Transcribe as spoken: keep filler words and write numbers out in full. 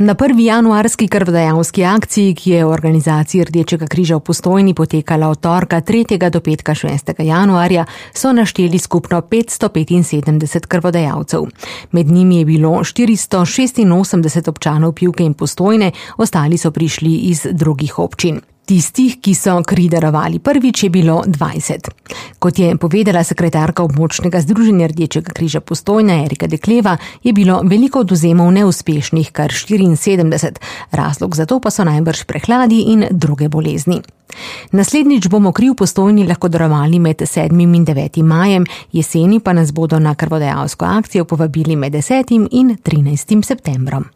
Na prvi januarski krvodajalski akciji, ki je v organizaciji Rdečega križa v Postojni potekala od torka tretjega do petka šestega januarja, so našteli skupno petsto petinsedemdeset krvodajalcev. Med njimi je bilo štiristo šestinosemdeset občanov Pivke in Postojne, ostali so prišli iz drugih občin. Tistih, ki so kri darovali prvič, je bilo dvajset. Kot je povedala sekretarka območnega združenja Rdečega križa Postojna Erika Dekleva, je bilo veliko odvzemov neuspešnih, kar štiriinsedemdeset. Razlog za to pa so najbrž prehladi in druge bolezni. Naslednjič bomo kri v Postojni lahko darovali med sedmim in devetim majem, jeseni pa nas bodo na krvodajalsko akcijo povabili med desetim in trinajstim septembrom.